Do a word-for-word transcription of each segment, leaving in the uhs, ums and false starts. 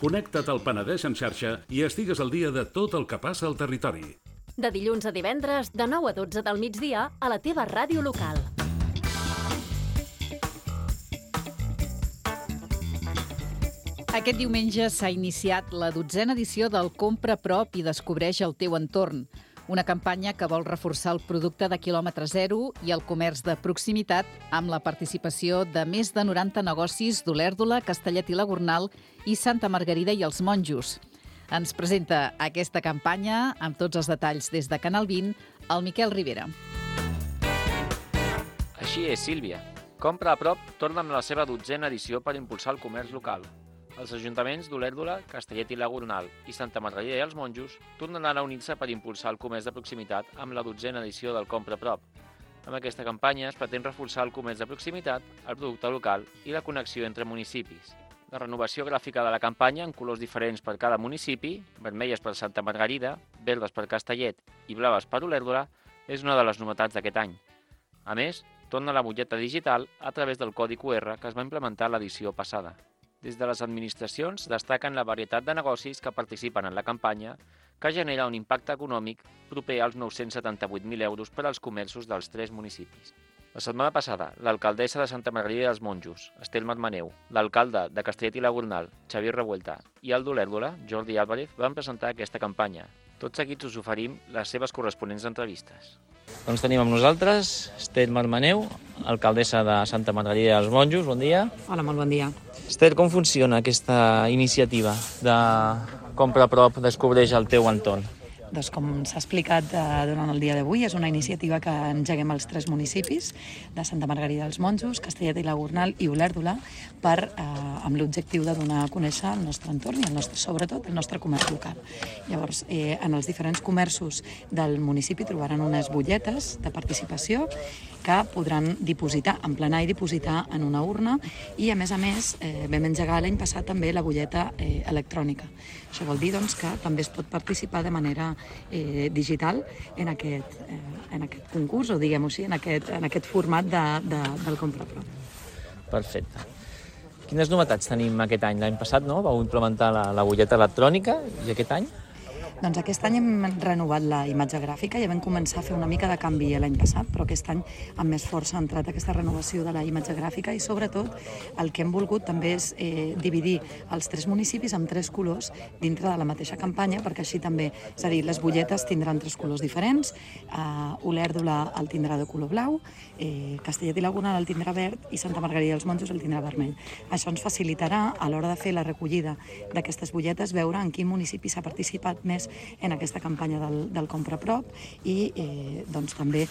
Connecta't al Penedès en xarxa i estigues al dia de tot el que passa al territori. De dilluns a divendres, de nou a dotze del migdia, a la teva ràdio local. Aquest diumenge s'ha iniciat la dotzena edició del Compra a prop i descobreix el teu entorn. Una campanya que vol reforçar el producte de quilòmetre zero i el comerç de proximitat amb la participació de més de noranta negocis d'Olèrdola, Castellet i la Gornal i Santa Margarida i els Monjos. Ens presenta aquesta campanya, amb tots els detalls des de Canal vint, el Miquel Rivera. Així és, Sílvia. Compra a prop torna amb la seva dotzena edició per impulsar el comerç local. Els ajuntaments d'Olèrdola, Castellet i la Gornal i Santa Margarida i els Monjos tornaran a unir-se per impulsar el comerç de proximitat amb la dotzena edició del Compra a prop. Amb aquesta campanya es pretén reforçar el comerç de proximitat, el producte local i la connexió entre municipis. La renovació gràfica de la campanya en colors diferents per cada municipi, vermelles per Santa Margarida, verdes per Castellet i blaves per Olèrdola, és una de les novetats d'aquest any. A més, torna la butlleta digital a través del codi cu erre que es va implementar l'edició passada. Des de les administracions destaquen la varietat de negocis que participen en la campanya, que genera un impacte econòmic proper als nou-cents setanta-vuit mil euros per als comerços dels tres municipis. La setmana passada, l'alcaldessa de Santa Margarida dels Monjos, Estel Marmaneu, l'alcalde de Castellet i la Gornal, Xavier Revuelta, i el d'Olèrdola, Jordi Álvarez, van presentar aquesta campanya. Tot seguit us oferim les seves corresponents entrevistes. Doncs tenim amb nosaltres Estel Marmaneu, alcaldessa de Santa Margarida dels Monjos. Bon dia. Hola, molt bon dia. Estel, com funciona aquesta iniciativa de Compra a prop, descobreix el teu entorn? Doncs com s'ha explicat eh, durant el dia d'avui, és una iniciativa que engeguem als tres municipis de Santa Margarida dels Monjos, Castellet i la Gornal i Olèrdola, per, eh, amb l'objectiu de donar a conèixer el nostre entorn i el nostre, sobretot el nostre comerç local. Llavors, eh, en els diferents comerços del municipi trobaran unes butlletes de participació que podran dipositar, emplenar i dipositar en una urna i, a més a més, eh, vam engegar l'any passat també la butlleta eh, electrònica. Això vol dir doncs, que també es pot participar de manera eh, digital en aquest, eh, en aquest concurs, o diguem-ho així, en aquest, en aquest format de, de, del Compra a prop. Perfecte. Quines novetats tenim aquest any? L'any passat no? Vau implementar la, la butlleta electrònica i aquest any? Doncs aquest any hem renovat la imatge gràfica, ja vam començar a fer una mica de canvi l'any passat, però aquest any amb més força ha entrat aquesta renovació de la imatge gràfica i sobretot el que hem volgut també és eh, dividir els tres municipis amb tres colors dintre de la mateixa campanya, perquè així també, és a dir, les butlletes tindran tres colors diferents, eh, Olèrdola el tindrà de color blau, eh, Castellet i la Gornal el tindrà verd i Santa Margarida dels Monjos el tindrà vermell. Això ens facilitarà a l'hora de fer la recollida d'aquestes butlletes veure en quin municipi s'ha participat més en aquesta campanya del, del Compra a prop i eh, doncs també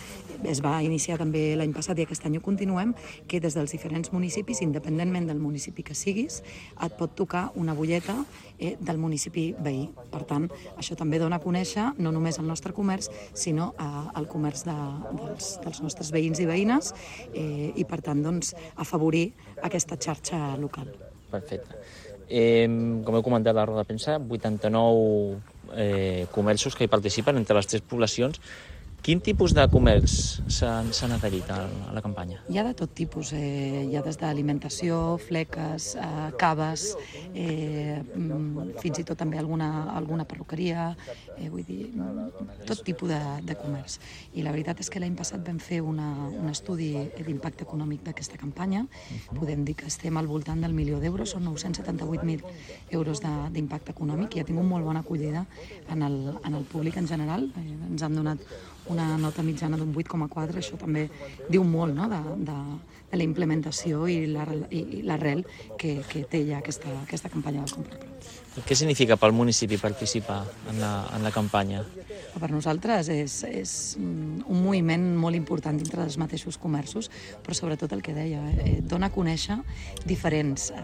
es va iniciar també l'any passat i aquest any ho continuem, que des dels diferents municipis, independentment del municipi que siguis, et pot tocar una butlleta eh, del municipi veí. Per tant, això també dona a conèixer no només el nostre comerç, sinó eh, el comerç de, dels, dels nostres veïns i veïnes eh, i per tant doncs, afavorir aquesta xarxa local. Perfecte. Eh, com heu comentat a la roda de premsa, vuitanta-nou eh, comerços que hi participen entre les tres poblacions. Quin tipus de comerç s'han adherit a, a la campanya? Hi ha de tot tipus. Eh, hi ha des d'alimentació, fleques, eh, caves, eh, fins i tot també alguna, alguna perruqueria, eh, vull dir, tot tipus de, de comerç. I la veritat és que l'any passat vam fer una, un estudi d'impacte econòmic d'aquesta campanya. Uh-huh. Podem dir que estem al voltant del milió d'euros, són nou-cents setanta-vuit mil euros d'impacte econòmic i ha tingut molt bona acollida en el, en el públic en general. Eh, ens han donat una nota mitjana d'un vuit coma quatre, això també diu molt, no?, de, de, de la implementació i l'arrel que, que té ja aquesta, aquesta campanya del Compra a prop. Què significa pel municipi participar en la, en la campanya? Per nosaltres és, és un moviment molt important dintre dels mateixos comerços, però sobretot el que deia, eh, dona a conèixer diferents eh,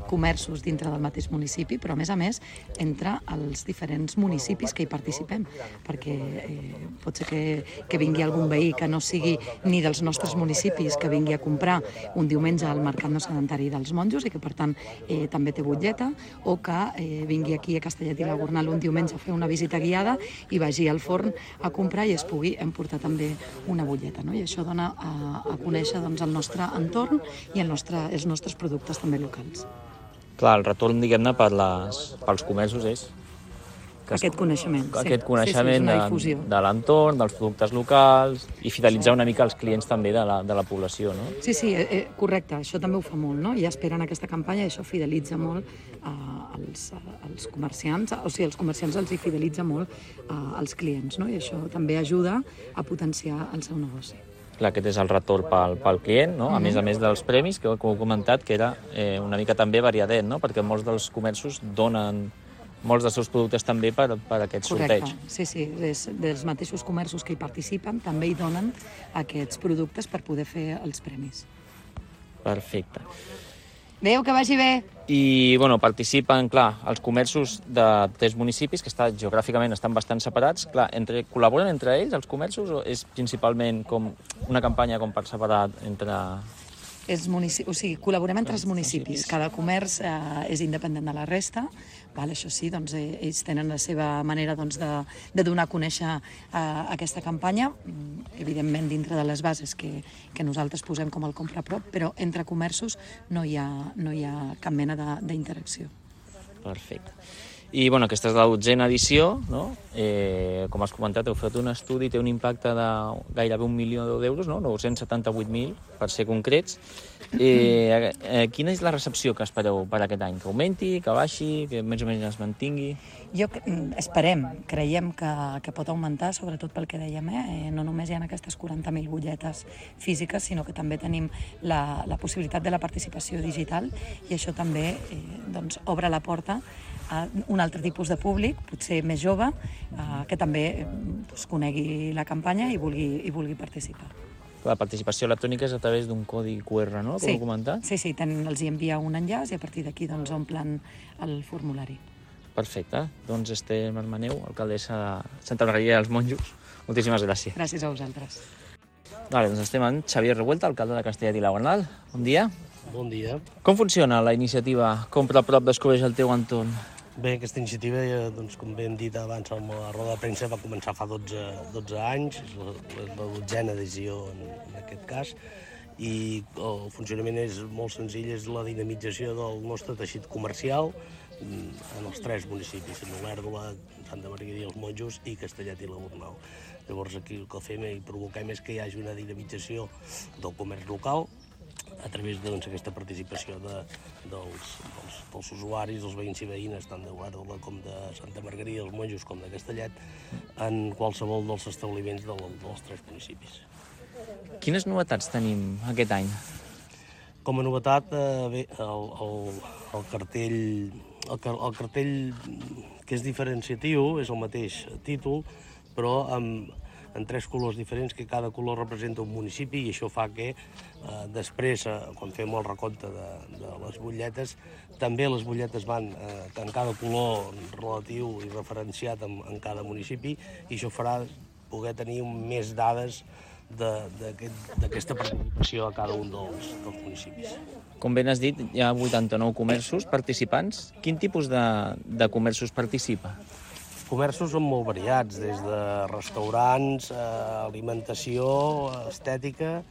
comerços dintre del mateix municipi, però a més a més entre els diferents municipis que hi participem, perquè eh, pot ser que, que vingui algun veí que no sigui ni dels nostres municipis, que vingui a comprar un diumenge al Mercat No Sedentari dels Monjos i que per tant eh, també té butlleta, o que eh, vingui aquí a Castellet i la Gornal un diumenge a fer una visita guiada i vagi al forn a comprar i es pugui emportar també una butlleta, no? I això dona a, a conèixer doncs, el nostre entorn i el nostre, els nostres productes també locals. Clar, el retorn, diguem-ne, per les, pels comerços és... Aquest coneixement, sí. Aquest coneixement sí, de, sí, de l'entorn, dels productes locals i fidelitzar una mica els clients també de la, de la població, no? Sí, sí, eh, correcte, això també ho fa molt, no? Ja esperen aquesta campanya i això fidelitza molt eh, els, els comerciants, o sigui, els comerciants els hi fidelitza molt eh, els clients, no? I això també ajuda a potenciar el seu negoci. Clar, aquest és el retorn pel, pel client, no? A mm-hmm. més a més dels premis, que com heu comentat, que era eh, una mica també variadet, no? Perquè molts dels comerços donen molts dels seus productes també per, per aquest sorteig. Correcte, sí, sí, des, dels mateixos comerços que hi participen també hi donen aquests productes per poder fer els premis. Perfecte. Adéu, que vagi bé! I, bueno, participen, clar, els comerços de tres municipis, que està, geogràficament estan bastant separats. Clar, entre, col·laboren entre ells, els comerços, o és principalment com una campanya com per separat entre... És munici... O sigui, col·laborem entre els municipis. Cada comerç eh, és independent de la resta. Val, això sí, doncs, eh, ells tenen la seva manera doncs, de, de donar a conèixer eh, aquesta campanya, evidentment dintre de les bases que, que nosaltres posem com el Compra a Prop, però entre comerços no hi ha, no hi ha cap mena d'interacció. Perfecte. I, bueno, aquesta és la dotzena edició, no? Eh, com has comentat, heu fet un estudi, té un impacte de gairebé un milió d'euros, no? nou-cents setanta-vuit mil, per ser concrets. Eh, eh, quina és la recepció que espereu per aquest any? Que augmenti, que baixi, que més o menys es mantingui? Jo esperem, creiem que, que pot augmentar, sobretot pel que dèiem, eh? No només hi ha aquestes quaranta mil butlletes físiques, sinó que també tenim la, la possibilitat de la participació digital i això també eh, doncs, obre la porta a un altre tipus de públic, potser més jove, eh, que també doncs, conegui la campanya i vulgui, i vulgui participar. La participació electrònica és a través d'un codi Q R, no? Com sí, heu comentat? Sí, sí, ten, els hi envia un enllaç i a partir d'aquí doncs, omplen el formulari. Perfecte. Doncs Esther Marmaneu, alcaldessa de Santa Margarida dels Monjos. Moltíssimes gràcies. Gràcies a vosaltres. Vale, doncs estem amb Xavier Revuelta, alcalde de Castellet i la Gornal. Bon dia. Bon dia. Com funciona la iniciativa Compra a Prop, descobreix el teu entorn? Bé, aquesta iniciativa, doncs, com bé hem dit abans amb la roda de premsa, va començar fa dotze, dotze anys, és la, la dotzena edició en, en aquest cas, i el funcionament és molt senzill, és la dinamització del nostre teixit comercial en els tres municipis, en Olèrdola, Santa Margarida i els Monjos i Castellet i la Gornal. Llavors aquí el que fem i provoquem és que hi hagi una dinamització del comerç local a través d'aquesta doncs, participació de, dels, dels, dels usuaris, dels veïns i veïnes, tant de Olèrdola com de Santa Margarida, els Monjos com de Castellet, en qualsevol dels establiments del, dels tres municipis. Quines novetats tenim aquest any? Com a novetat, eh, bé, el, el, el, cartell, el, el cartell que és diferenciatiu és el mateix títol, però amb en tres colors diferents, que cada color representa un municipi, i això fa que eh, després, eh, quan fem el recompte de, de les butlletes, també les butlletes van eh, en cada color relatiu i referenciat en, en cada municipi, i això farà poder tenir més dades d'aquesta participació a cada un dels, dels municipis. Com ben has dit, hi ha vuitanta-nou comerços participants. Quin tipus de, de comerços participa? Comerços són molt variats, des de restaurants, eh, alimentació, estètica,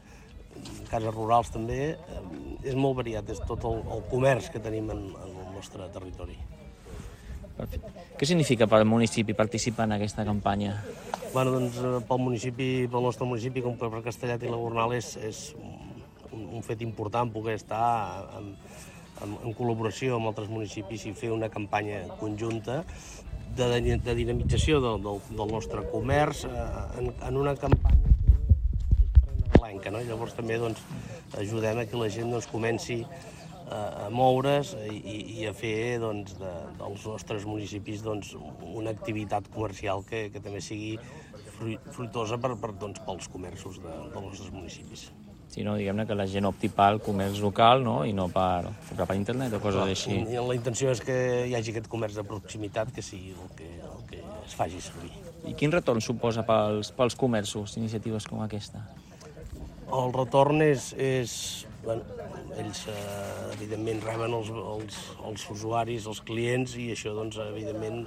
cases rurals també. Eh, és molt variat, és tot el, el comerç que tenim en, en el nostre territori. Perfecte. Què significa per al municipi participar en aquesta campanya? Bueno, doncs, pel municipi, pel nostre municipi, com per Castellet i la Gornal, és, és un, un fet important poder estar en, en, en col·laboració amb altres municipis i fer una campanya conjunta de, de dinamització del, del, del nostre comerç eh, en, en una campanya prenalenca, no? Llavors també doncs, ajudem a que la gent doncs, comenci a moure's i, i a fer doncs, de, dels nostres municipis doncs, una activitat comercial que, que també sigui fruitosa per, per, doncs, pels comerços de, dels nostres municipis. Sí, no, diguem-ne que la gent opti pel comerç local, no? I no per, per internet o coses així. I la intenció és que hi hagi aquest comerç de proximitat que sigui el que, el que es faci servir. I quin retorn suposa pels, pels comerços iniciatives com aquesta? El retorn és... és bueno, ells eh, evidentment reben els, els, els usuaris, els clients, i això doncs, evidentment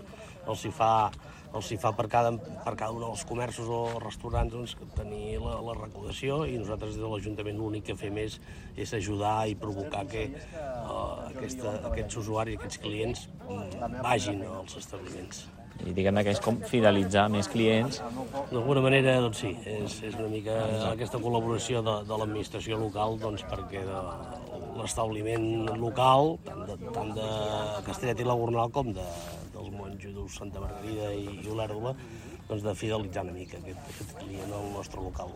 els hi fa els hi fa per cada, per cada un dels comerços o restaurants doncs, tenir la, la recaudació, i nosaltres des de l'Ajuntament l'únic que fem és, és ajudar i provocar que uh, aquesta, aquests usuaris, aquests clients vagin als establiments. I diguem-ne que és com fidelitzar més clients. D'alguna manera, doncs sí, és, és una mica aquesta col·laboració de, de l'administració local, doncs perquè de l'establiment local, tant de, tant de Castellet i la Gornal com de, dels monjos Santa Margarida i, i Olèrdola, doncs de fidelitzar una mica aquest, aquest client al nostre local.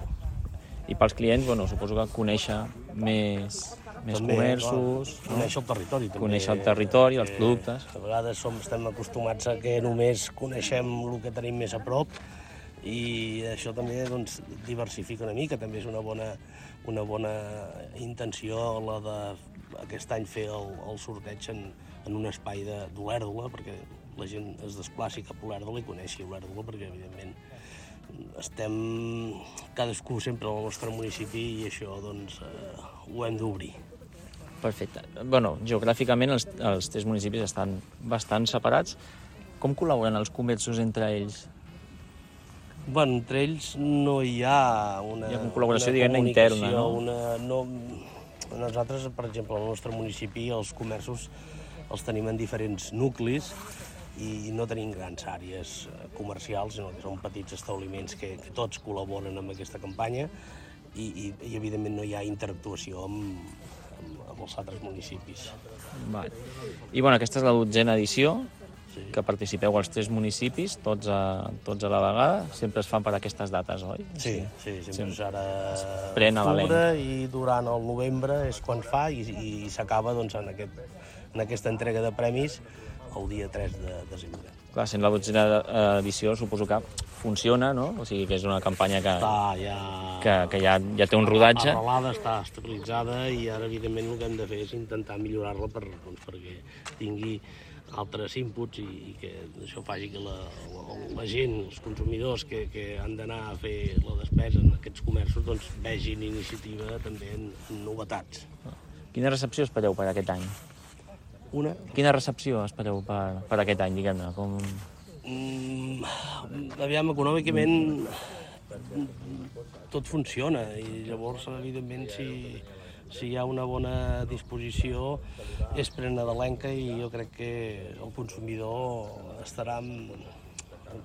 I pels clients, bueno, suposo que conèixer més, més també, comerços... Clar, conèixer el territori, també. Conèixer el territori, els productes... A vegades som, estem acostumats a que només coneixem el que tenim més a prop, i això també doncs, diversifica una mica, també és una bona, una bona intenció la de aquest any fer el, el sorteig en, en un espai d'Olèrdola, perquè la gent es desplaci cap a Olèrdola i coneixi Olèrdola, perquè evidentment estem cadascú sempre al nostre municipi i això doncs eh, ho hem d'obrir. Perfecte. Bueno, geogràficament els, els tres municipis estan bastant separats. Com col·laboren els comerços entre ells? Bueno, entre ells no hi ha una, hi ha una col·laboració, una diguem-ne, interna, no? Una, no? Nosaltres, per exemple, al nostre municipi, els comerços els tenim en diferents nuclis i no tenim grans àrees comercials, sinó que són petits establiments que, que tots col·laboren amb aquesta campanya i, i, i evidentment no hi ha interactuació amb, amb, amb els altres municipis. Vale. I bueno, aquesta és la dotzena edició, sí, que participeu als tres municipis, tots a, tots a la vegada, sempre es fan per aquestes dates, oi? Sí, sí, sempre sí. És ara pren a octubre i durant el novembre és quan fa i, i s'acaba doncs, en, aquest, en aquesta entrega de premis el dia tres de desembre. Clar, sent la dotzena edició suposo que funciona, no? O sigui que és una campanya que, està, ja, que, que ja, ja té un rodatge. Arrelada, està estabilitzada i ara evidentment el que hem de fer és intentar millorar-la per, doncs, perquè tingui altres inputs i, i que això faci que la, la, la gent, els consumidors que, que han d'anar a fer la despesa en aquests comerços doncs vegin iniciativa també en, en novetats. Quina recepció espereu per aquest any? Una? Quina recepció espereu per, per aquest any, diguem-ne? Com... Mm, aviam, econòmicament tot funciona i llavors, evidentment, si, si hi ha una bona disposició és prenadalenca i jo crec que el consumidor estarà en,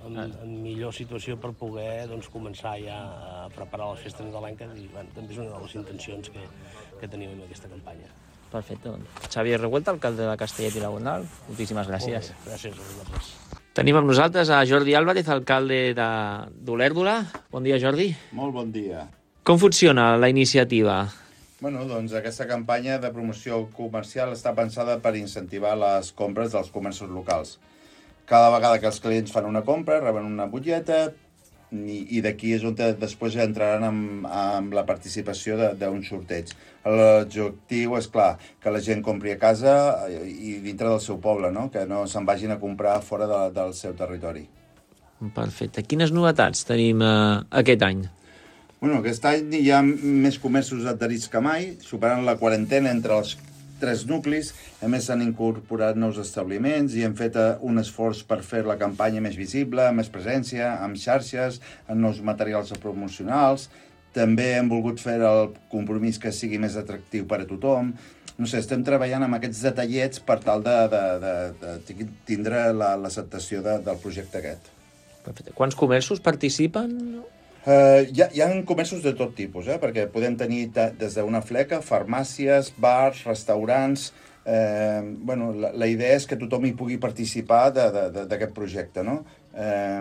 en, en millor situació per poder doncs, començar ja a preparar les festes nadalenques i bueno, també és una de les intencions que, que tenim en aquesta campanya. Perfecte. Xavier Revuelta, alcalde de Castellet i la Gornal, moltíssimes gràcies. Molt bé, gràcies a vosaltres. Tenim amb nosaltres a Jordi Álvarez, alcalde d'Olèrdola. Bon dia, Jordi. Molt bon dia. Com funciona la iniciativa? Bueno, doncs aquesta campanya de promoció comercial està pensada per incentivar les compres dels comerços locals. Cada vegada que els clients fan una compra, reben una butlleta, i, i d'aquí és on després entraran amb, amb la participació d'un sorteig. L'objectiu és, clar, que la gent compri a casa i dintre del seu poble, no? Que no se'n vagin a comprar fora de, del seu territori. Perfecte. Quines novetats tenim eh, aquest any? Bueno, aquest any hi ha més comerços adherits que mai, superant la quarantena entre els tres nuclis. A més, s'han incorporat nous establiments i hem fet un esforç per fer la campanya més visible, amb més presència, amb xarxes, amb nous materials promocionals. També hem volgut fer el compromís que sigui més atractiu per a tothom. No sé, estem treballant amb aquests detallets per tal de, de, de, de tindre l'acceptació de, del projecte aquest. Perfecte. Quants comerços participen? Uh, hi, ha, hi ha comerços de tot tipus, eh? Perquè podem tenir des d'una fleca, farmàcies, bars, restaurants... Eh, bueno, la, la idea és que tothom hi pugui participar d'aquest projecte, no? Eh,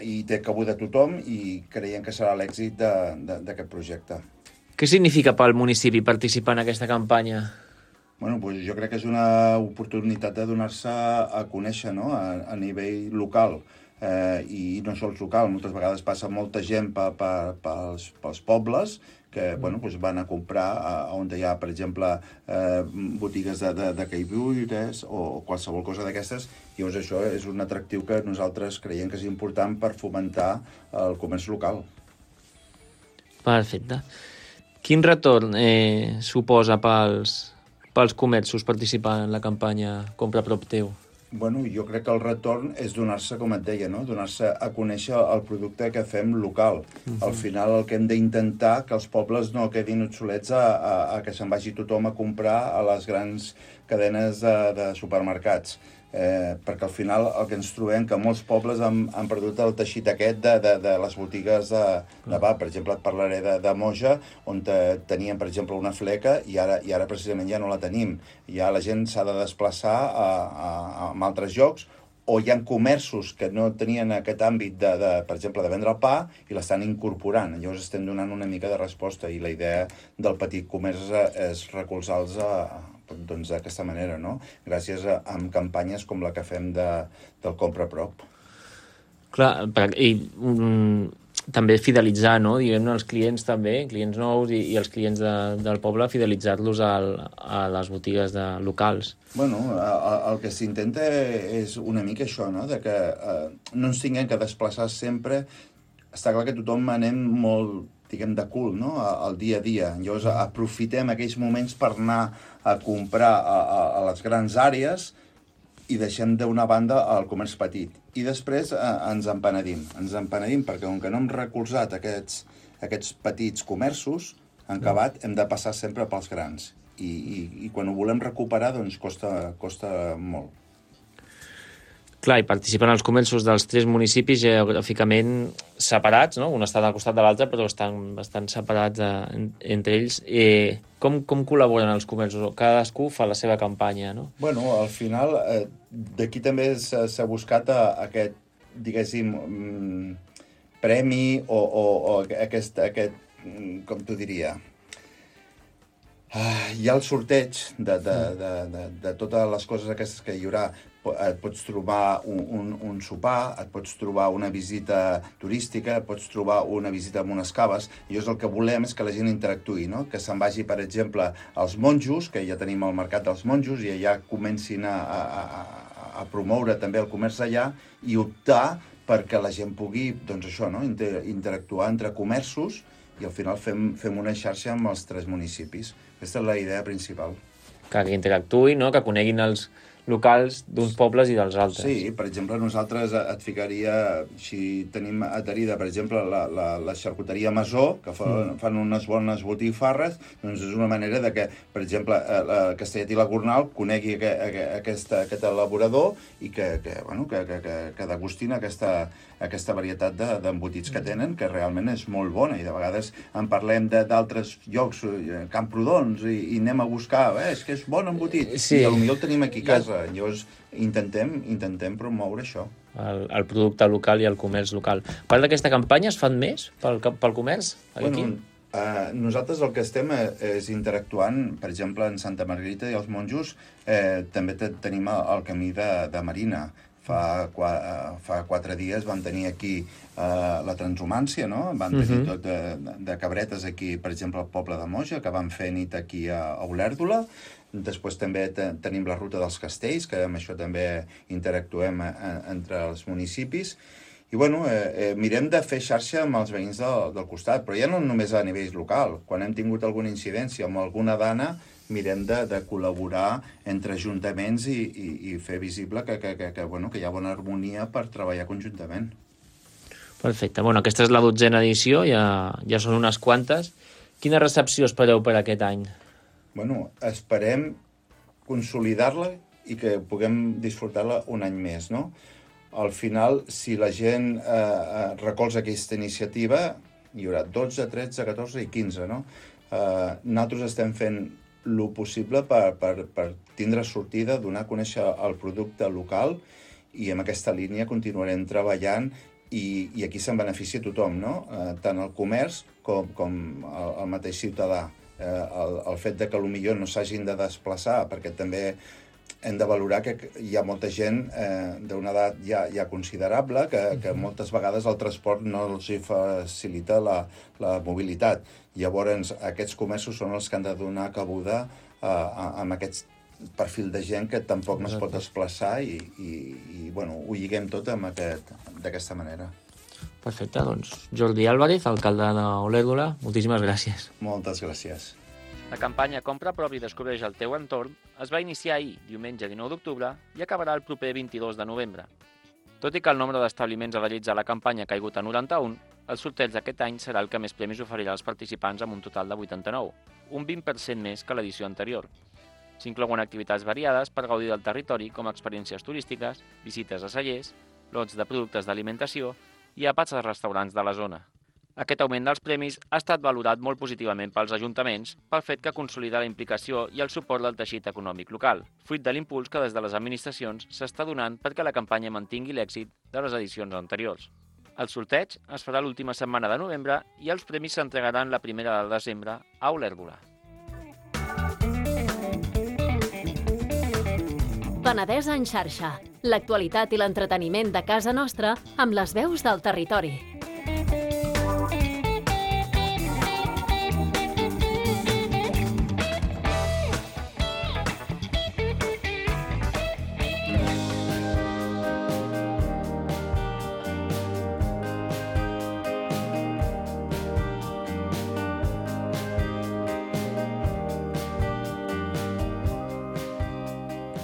I té cabuda tothom i creiem que serà l'èxit d'aquest projecte. Què significa pel municipi participar en aquesta campanya? Bueno, doncs jo crec que és una oportunitat de donar-se a conèixer, no? a, a nivell local. Eh, i no sols local, moltes vegades passa molta gent pa, pa, pels, pels pobles que bueno, doncs van a comprar a, on hi ha, per exemple, eh, botigues de, de, de caiguires o qualsevol cosa d'aquestes. Llavors això és un atractiu que nosaltres creiem que és important per fomentar el comerç local. Perfecte. Quin retorn eh, suposa pels, pels comerços participar en la campanya Compra a prop teu? Bueno, jo crec que el retorn és donar-se, com et deia, no? Donar-se a conèixer el producte que fem local. Uh-huh. Al final el que hem d'intentar que els pobles no quedin obsolets a, a, a que se'n vagi tothom a comprar a les grans cadenes de, de supermercats. Eh, perquè al final el que ens trobem que molts pobles han, han perdut el teixit aquest de, de, de les botigues de, de bar. Per exemple, et parlaré de, de Moja, on te, teníem, per exemple, una fleca i ara, i ara precisament ja no la tenim. Ja la gent s'ha de desplaçar a, a, a altres llocs, o hi ha comerços que no tenien aquest àmbit, de, de, per exemple, de vendre el pa i l'estan incorporant. Llavors estem donant una mica de resposta i la idea del petit comerç és, és recolzar-los a, doncs d'aquesta manera, no? Gràcies a, a campanyes com la que fem de, del Compra a Prop. Clar, i um, també fidelitzar, no? Diguem-ne, els clients també, clients nous i, i els clients de, del poble, fidelitzar-los al, a les botigues de, locals. Bueno, el, el que s'intenta és una mica això, no? De que eh, no ens tinguem que desplaçar sempre. Està clar que tothom anem molt, diguem, de cul, no? Al dia a dia. Llavors aprofitem aquells moments per anar a comprar a, a, a les grans àrees i deixem d'una banda el comerç petit. I després eh, ens empenedim. Ens empenedim perquè, com que no hem recolzat aquests, aquests petits comerços, en acabat hem de passar sempre pels grans. I, i, i quan ho volem recuperar, doncs costa, costa molt. Clar, i participen els comerços dels tres municipis geogràficament separats, no? Un està al costat de l'altre, però estan bastant separats eh, entre ells. Eh, com, com col·laboren els comerços? Cadascú fa la seva campanya, no? Bueno, al final, eh, d'aquí també s'ha buscat a, aquest, diguéssim, mm, premi o, o, o aquest, aquest, com t'ho diria... Uh, hi ha el sorteig de, de, de, de, de totes les coses aquestes que hi haurà. Et pots trobar un, un, un sopar, et pots trobar una visita turística, et pots trobar una visita amb unes caves. I llavors el que volem és que la gent interactuï, no? Que se'n vagi, per exemple, als monjos, que ja tenim el mercat dels monjos, i allà comencin a, a, a, a promoure també el comerç allà i optar perquè la gent pugui, doncs això, no? Inter, interactuar entre comerços i al final fem, fem una xarxa amb els tres municipis. Aquesta és la idea principal. Que, que interactuï, no? Que coneguin els locals d'uns pobles i dels altres. Sí, per exemple, nosaltres et ficaria, si tenim adherida, per exemple, la, la, la xarcuteria Masó, que fa, mm. fan unes bones botifarres, doncs és una manera de que, per exemple, la Castellet i la Gornal conegui que, que, aquesta, aquest elaborador i que, que, bueno, que, que, que, que degustin aquesta, aquesta varietat d'embotits que tenen, que realment és molt bona, i de vegades en parlem d'altres llocs, Camprodons, i, i anem a buscar, eh, és que és bon embotit, sí. I potser el tenim aquí a casa. Llavors intentem, intentem promoure això. El, el producte local i el comerç local. A part d'aquesta campanya, es fan més pel, pel comerç? Aquí? Bueno, eh, nosaltres el que estem és interactuant, per exemple, en Santa Margarita i els monjos, eh, també tenim el camí de, de Marina. Fa, qua, fa quatre dies van tenir aquí eh, la transhumància, no? Van tenir uh-huh. tot de, de cabretes aquí, per exemple, al poble de Moja, que van fer nit aquí a, a Olèrdola. Després també te, tenim la ruta dels castells, que amb això també interactuem a, a, entre els municipis. I bueno, eh, eh, mirem de fer xarxa amb els veïns del, del costat, però ja no només a nivell local. Quan hem tingut alguna incidència amb alguna dana, mirem de, de col·laborar entre ajuntaments i, i, i fer visible que, que, que, que, bueno, que hi ha bona harmonia per treballar conjuntament. Perfecte. Bueno, aquesta és la dotzena edició, ja, ja són unes quantes. Quina recepció espereu per aquest any? Bueno, esperem consolidar-la i que puguem disfrutar-la un any més, no? Al final, si la gent eh, recolza aquesta iniciativa, hi haurà dotze, tretze, catorze i quinze, no? Eh, nosaltres estem fent el possible per, per, per tindre sortida, donar a conèixer el producte local, i amb aquesta línia continuarem treballant i, i aquí se'n beneficia tothom, no? Eh, tant el comerç com, com el, el mateix ciutadà. Eh, el, el fet de que potser no s'hagin de desplaçar, perquè també hem de valorar que hi ha molta gent eh, d'una edat ja, ja considerable que, que moltes vegades el transport no els facilita la, la mobilitat. Llavors, aquests comerços són els que han de donar cabuda eh, amb aquest perfil de gent que tampoc no es pot desplaçar i, i, i bueno, ho lliguem tot aquest, d'aquesta manera. Perfecte, doncs Jordi Álvarez, alcalde d'Olèrdola, moltíssimes gràcies. Moltes gràcies. La campanya Compra a prop i descobreix el teu entorn es va iniciar ahir, diumenge dinou d'octubre, i acabarà el proper vint-i-dos de novembre. Tot i que el nombre d'establiments adherits a la campanya ha caigut a noranta-un, el sorteig d'aquest any serà el que més premis oferirà als participants amb un total de vuitanta-nou, un vint per cent més que l'edició anterior. S'inclouen activitats variades per gaudir del territori com experiències turístiques, visites a cellers, lots de productes d'alimentació i àpats als restaurants de la zona. Aquest augment dels premis ha estat valorat molt positivament pels ajuntaments pel fet que consolida la implicació i el suport del teixit econòmic local, fruit de l'impuls que des de les administracions s'està donant perquè la campanya mantingui l'èxit de les edicions anteriors. El sorteig es farà l'última setmana de novembre i els premis s'entregaran la primera de desembre a Olèrdola. Penedès en xarxa. L'actualitat i l'entreteniment de casa nostra amb les veus del territori.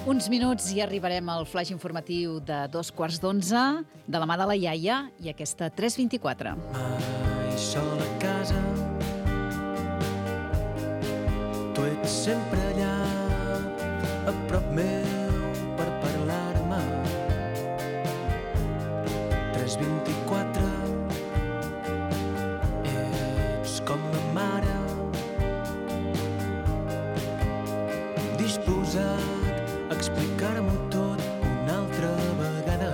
Uns minuts i arribarem al flaix informatiu de dos quarts d'onze, de la mà de la iaia i aquesta tres vint-i-quatre. Mai sol a casa, tu ets sempre allà, a prop meu per parlar-me. tres vint-i-quatre, ets com la mare, disposat explicar-m'ho tot una altra vegada.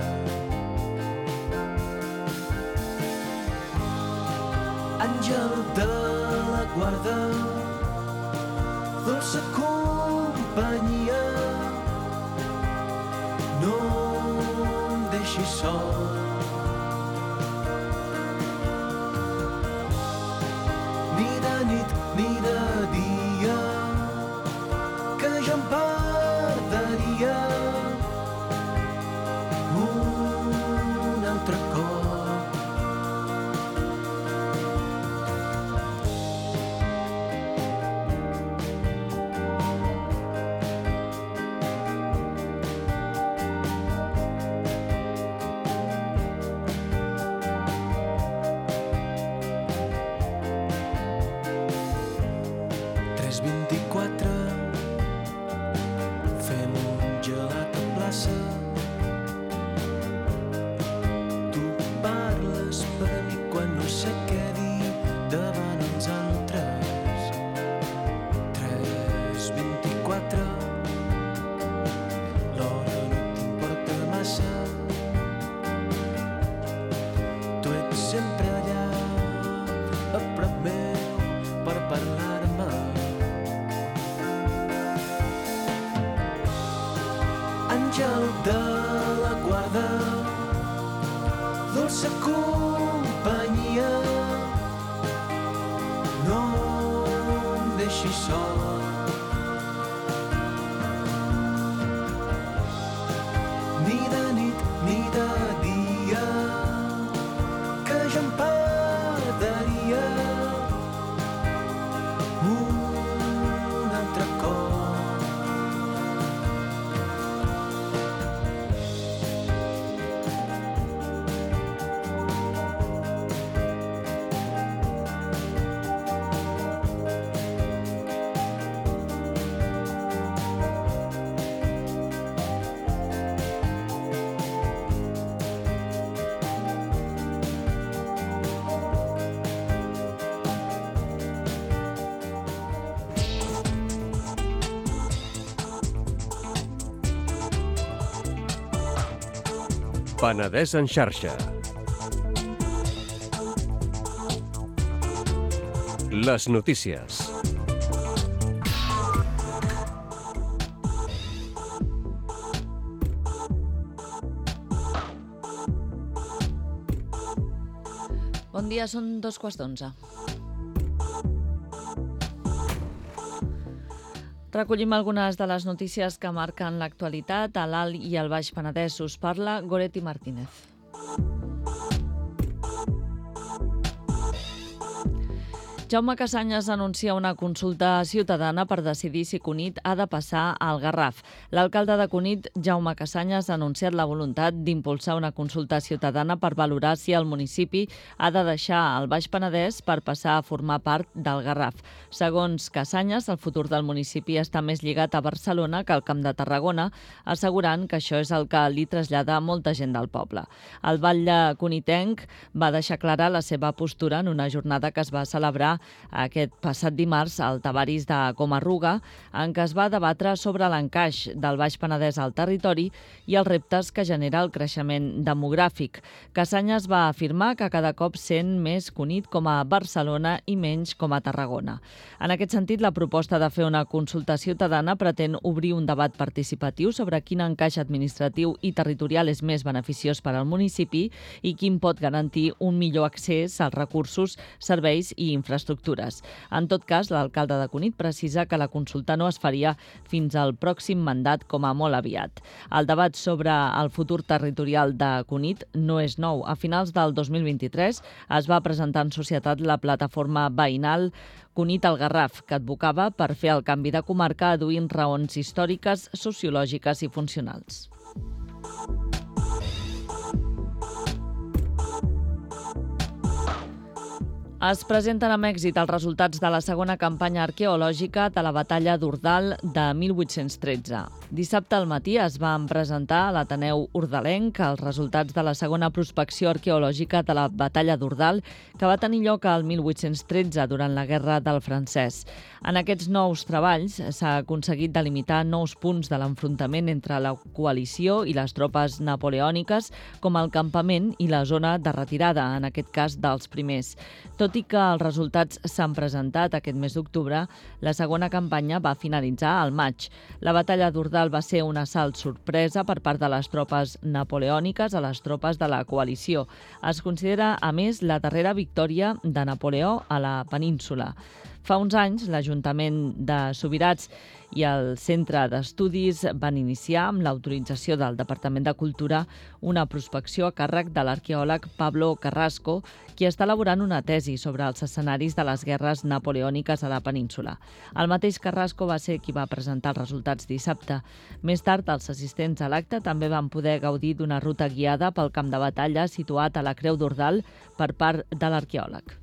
Àngel de la guarda, dolça companyia, no em deixis sol. Ni de nit ni de dia, que jo em perderia un altre cop. tres vint-i-quatre, fem un gelat a plaça. Tu parles per a mi quan no sé què dir davant els altres. tres vint-i-quatre, l'hora no t'importa massa. Tu ets sempre allà, a prop meu, per parlar-me. Àngel de la guarda, dolça companyia, no em deixis sol. Ni de nit ni de dia, que jo em perderia un altre cop. Penedès en xarxa. Les notícies. Bon dia, són dos quarts d'onze. Recollim algunes de les notícies que marquen l'actualitat a l'Alt i al Baix Penedès. Us parla Goretti Jaume Cassanyes anuncia una consulta ciutadana per decidir si Cunit ha de passar al Garraf. L'alcalde de Cunit, Jaume Cassanyes, ha anunciat la voluntat d'impulsar una consulta ciutadana per valorar si el municipi ha de deixar el Baix Penedès per passar a formar part del Garraf. Segons Cassanyes, el futur del municipi està més lligat a Barcelona que al Camp de Tarragona, assegurant que això és el que li trasllada molta gent del poble. El batlle cunitenc va deixar clara la seva postura en una jornada que es va celebrar aquest passat dimarts al Tavaris de Comarruga, en què es va debatre sobre l'encaix del Baix Penedès al territori i els reptes que genera el creixement demogràfic. Cassanyes va afirmar que cada cop sent més Cunit com a Barcelona i menys com a Tarragona. En aquest sentit, la proposta de fer una consulta ciutadana pretén obrir un debat participatiu sobre quin encaix administratiu i territorial és més beneficiós per al municipi i quin pot garantir un millor accés als recursos, serveis i infraestructures. En tot cas, l'alcalde de Cunit precisa que la consulta no es faria fins al pròxim mandat com a molt aviat. El debat sobre el futur territorial de Cunit no és nou. A finals del dos mil vint-i-tres es va presentar en societat la plataforma veïnal Cunit al Garraf, que advocava per fer el canvi de comarca aduint raons històriques, sociològiques i funcionals. Es presenten amb èxit els resultats de la segona campanya arqueològica de la batalla d'Ordal de mil vuit-cents tretze. Dissabte al matí es van presentar a l'Ateneu Ordalenc els resultats de la segona prospecció arqueològica de la batalla d'Ordal, que va tenir lloc al mil vuit-cents tretze durant la Guerra del Francès. En aquests nous treballs s'ha aconseguit delimitar nous punts de l'enfrontament entre la coalició i les tropes napoleòniques, com el campament i la zona de retirada, en aquest cas dels primers. Tot i que els resultats s'han presentat aquest mes d'octubre, la segona campanya va finalitzar al maig. La batalla d'Ordal va ser un assalt sorpresa per part de les tropes napoleòniques a les tropes de la coalició. Es considera, a més, la darrera victòria de Napoleó a la península. Fa uns anys, l'Ajuntament de Subirats i el Centre d'Estudis van iniciar, amb l'autorització del Departament de Cultura, una prospecció a càrrec de l'arqueòleg Pablo Carrasco, qui està elaborant una tesi sobre els escenaris de les guerres napoleòniques a la península. El mateix Carrasco va ser qui va presentar els resultats dissabte. Més tard, els assistents a l'acte també van poder gaudir d'una ruta guiada pel camp de batalla situat a la Creu d'Ordal per part de l'arqueòleg.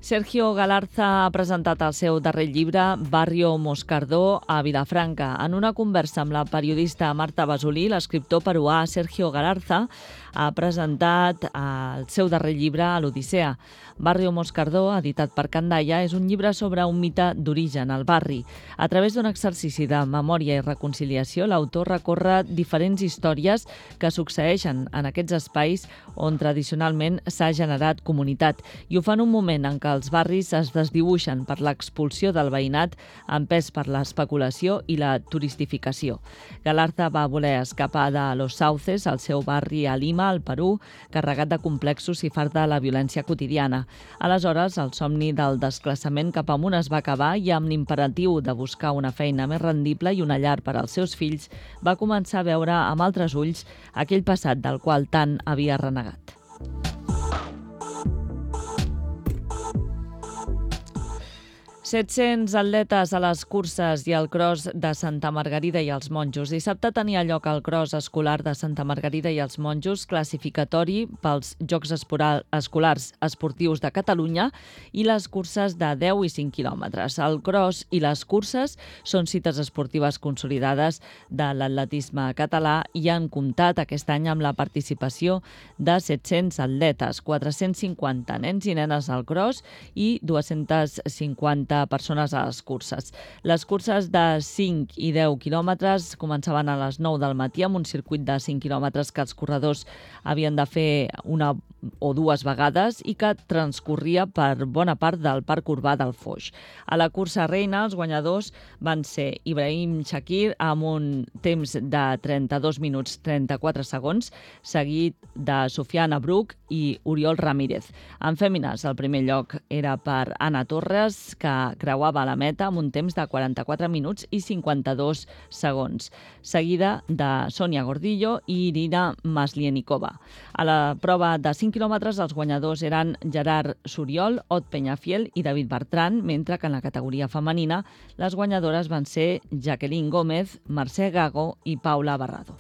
Sergio Galarza ha presentat el seu darrer llibre, Barrio Moscardó, a Vilafranca. En una conversa amb la periodista Marta Basolí, l'escriptor peruà Sergio Galarza ha presentat el seu darrer llibre a l'Odissea. Barrio Moscardó, editat per Candaia, és un llibre sobre un mite d'origen, el barri. A través d'un exercici de memòria i reconciliació, l'autor recorre diferents històries que succeeixen en aquests espais on tradicionalment s'ha generat comunitat, i ho fa en un moment en què els barris es desdibuixen per l'expulsió del veïnat empès per l'especulació i la turistificació. Galarza va voler escapar de Los Sauces, el seu barri a Lima, al Perú, carregat de complexos i fart de la violència quotidiana. Aleshores, el somni del desplaçament cap amunt es va acabar i amb l'imperatiu de buscar una feina més rendible i una llar per als seus fills, va començar a veure amb altres ulls aquell passat del qual tant havia renegat. set-cents atletes a les curses i al cross de Santa Margarida i els Monjos. Dissabte tenia lloc el cross escolar de Santa Margarida i els Monjos, classificatori pels Jocs Escolars Esportius de Catalunya, i les curses de deu i cinc quilòmetres. El cross i les curses són cites esportives consolidades de l'atletisme català i han comptat aquest any amb la participació de set-cents atletes, quatre-cents cinquanta nens i nenes al cross i dues-centes cinquanta persones a les curses. Les curses de cinc i deu quilòmetres començaven a les nou del matí amb un circuit de cinc quilòmetres que els corredors havien de fer una o dues vegades i que transcorria per bona part del parc urbà del Foix. A la cursa reina, els guanyadors van ser Ibrahim Shakir amb un temps de trenta-dos minuts trenta-quatre segons, seguit de Sofiana Bruc i Oriol Ramírez. En fèmines, el primer lloc era per Anna Torres, que creuava la meta amb un temps de quaranta-quatre minuts i cinquanta-dos segons, seguida de Sònia Gordillo i Irina Maslienikova. A la prova de cinc quilòmetres, els guanyadors eren Gerard Suriol, Ot Peñafiel i David Bertran, mentre que en la categoria femenina les guanyadores van ser Jacqueline Gómez, Mercè Gago i Paula Barrado.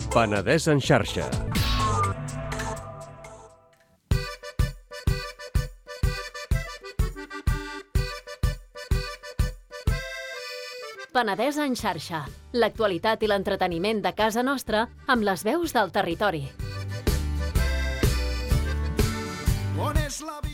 Penedès en xarxa. Penedès en xarxa. L'actualitat i l'entreteniment de casa nostra amb les veus del territori.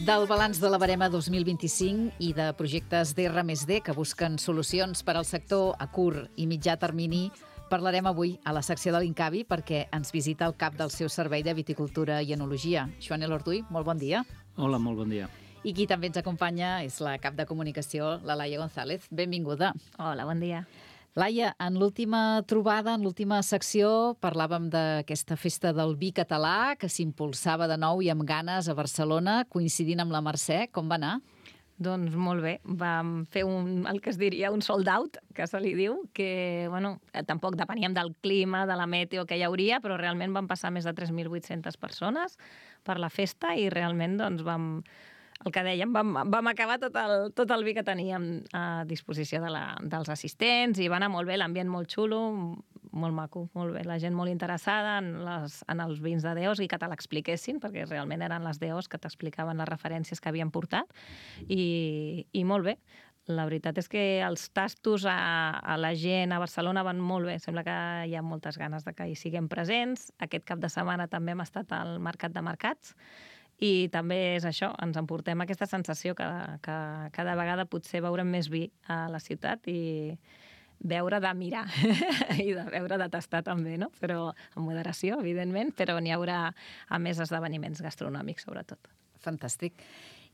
Del balanç de la barema dos mil vint-i-cinc i de projectes d'R més D que busquen solucions per al sector a curt i mitjà termini, parlarem avui a la secció de l'Incavi perquè ens visita el cap del seu servei de viticultura i enologia. Joan Elortuy, molt bon dia. Hola, molt bon dia. I qui també ens acompanya és la cap de comunicació, la Laia González. Benvinguda. Hola, bon dia. Laia, en l'última trobada, en l'última secció, parlàvem d'aquesta festa del vi català que s'impulsava de nou i amb ganes a Barcelona, coincidint amb la Mercè. Com va anar? Doncs molt bé. Vam fer un, el que es diria un sold out, que se li diu, que bueno, tampoc depeníem del clima, de la meteo que hi hauria, però realment van passar més de tres mil vuit-centes persones per la festa i realment doncs, vam... El que dèiem, vam, vam acabar tot el, tot el vi que teníem a disposició de la, dels assistents i va anar molt bé, l'ambient molt xulo, molt maco, molt bé. La gent molt interessada en, les, en els vins de D Os i que te l'expliquessin, perquè realment eren les D Os que t'explicaven les referències que havien portat i, i molt bé. La veritat és que els tastos a, a la gent a Barcelona van molt bé. Sembla que hi ha moltes ganes de que hi siguem presents. Aquest cap de setmana també hem estat al Mercat de Mercats i també és això, ens emportem aquesta sensació que, que cada vegada potser veurem més vi a la ciutat i veure de mirar i de veure de tastar també, no? Però amb moderació, evidentment, però n'hi haurà a més esdeveniments gastronòmics, sobretot. Fantàstic.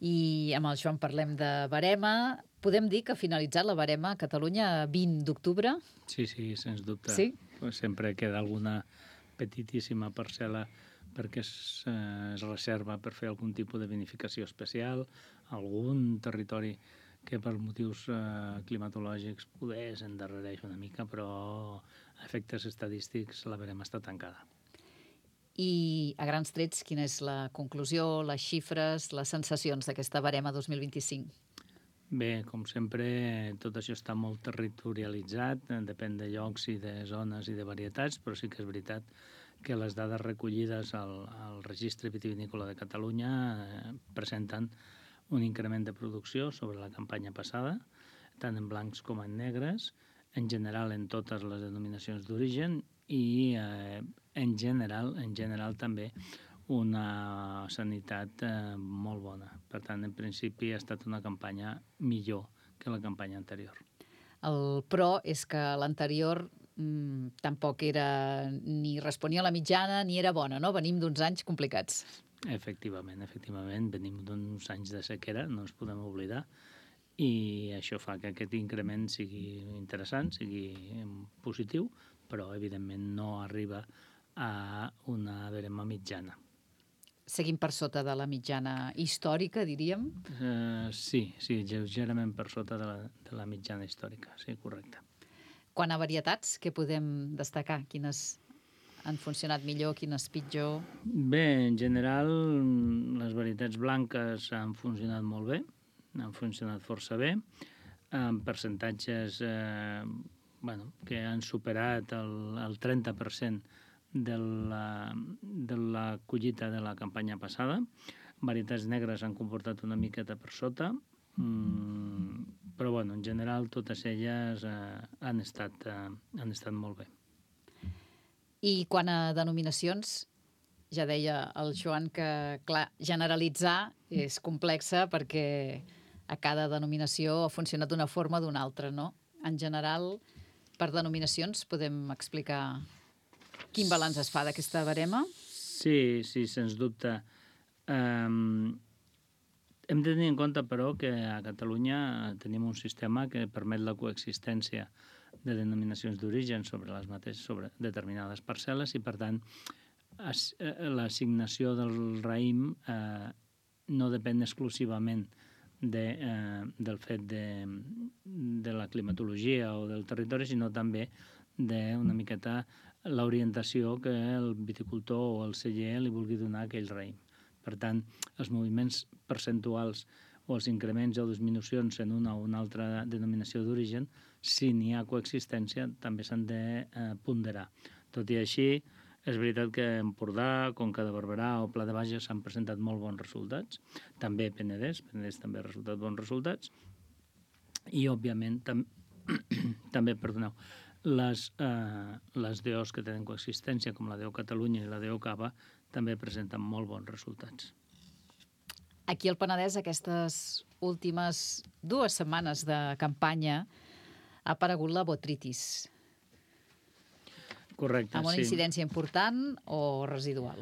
I amb el Joan parlem de barema. Podem dir que ha finalitzat la barema a Catalunya vint d'octubre? Sí, sí, sens dubte. Sí? Pues sempre queda alguna petitíssima parcel·la perquè es, eh, es reserva per fer algun tipus de vinificació especial, algun territori que per motius eh, climatològics poder s'endarrereix una mica, però a efectes estadístics la barema està tancada. I a grans trets, quina és la conclusió, les xifres, les sensacions d'aquesta barema dos mil vint-i-cinc? Bé, com sempre, tot això està molt territorialitzat, depèn de llocs i de zones i de varietats, però sí que és veritat que les dades recollides al, al Registre Vitivinícola de Catalunya eh, presenten un increment de producció sobre la campanya passada, tant en blancs com en negres, en general en totes les denominacions d'origen i eh, en general en general també una sanitat eh, molt bona. Per tant, en principi ha estat una campanya millor que la campanya anterior. El però és que l'anterior mm, tampoc era ni responia a la mitjana ni era bona, no? Venim d'uns anys complicats. Efectivament, efectivament. Venim d'uns anys de sequera, no ens podem oblidar, i això fa que aquest increment sigui interessant, sigui positiu, però evidentment no arriba a una barema mitjana. Seguim per sota de la mitjana històrica, diríem? Uh, sí, sí, lleugerament per sota de la, de la mitjana històrica, sí, correcte. Quant a varietats, què podem destacar? Quines han funcionat millor, quines pitjor? Bé, en general, les varietats blanques han funcionat molt bé, han funcionat força bé, amb percentatges eh, bueno, que han superat el, el trenta per cent de la, de la collita de la campanya passada. Varietats negres han comportat una miqueta per sota, mmm, però bueno, en general totes elles eh, han, estat, eh, han estat molt bé. I quant a denominacions, ja deia el Joan que, clar, generalitzar és complexa perquè a cada denominació ha funcionat d'una forma o d'una altra, no? En general, per denominacions podem explicar quin balanç es fa d'aquesta barema? Sí, sí, sens dubte. Um, hem de tenir en compte, però, que a Catalunya tenim un sistema que permet la coexistència de denominacions d'origen sobre les mateixes, sobre determinades parcel·les i, per tant, l'assignació del raïm eh, no depèn exclusivament de, eh, del fet de, de la climatologia o del territori, sinó també d'una miqueta l'orientació que el viticultor o el celler li vulgui donar a aquell raïm. Per tant, els moviments percentuals o els increments o disminucions en una o una altra denominació d'origen, si n'hi ha coexistència, també s'han de eh, ponderar. Tot i així, és veritat que Empordà, Conca de Barberà o Pla de Bages s'han presentat molt bons resultats. També Penedès, Penedès també ha resultat bons resultats. I, òbviament, tam també, perdoneu, les, eh, les D Os que tenen coexistència, com la D O Catalunya i la D O Cava, també presenten molt bons resultats. Aquí al Penedès, aquestes últimes dues setmanes de campanya, ha aparegut la botritis. Correcte, amb una sí. incidència important o residual?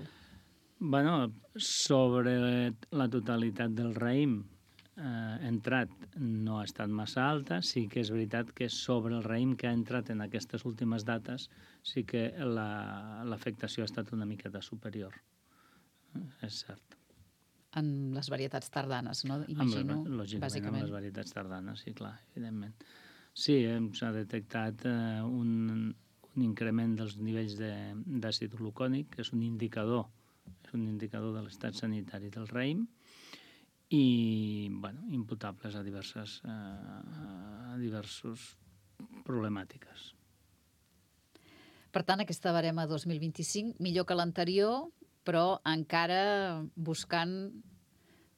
Bueno, sobre la totalitat del raïm eh, entrat no ha estat massa alta. Sí que és veritat que sobre el raïm que ha entrat en aquestes últimes dates sí que l'afectació ha estat una miqueta superior. És cert. En les varietats tardanes, no? Imagino, amb la, lògicament, bàsicament. en les varietats tardanes, sí, clar, evidentment. Sí, s'ha detectat eh, un, un increment dels nivells d'àcid glucònic, que és un indicador, és un indicador de l'estat sanitari del raïm, i, bueno, imputables a diverses, eh, a diversos problemàtiques. Per tant, aquesta barema dos mil vint-i-cinc, millor que l'anterior, però encara buscant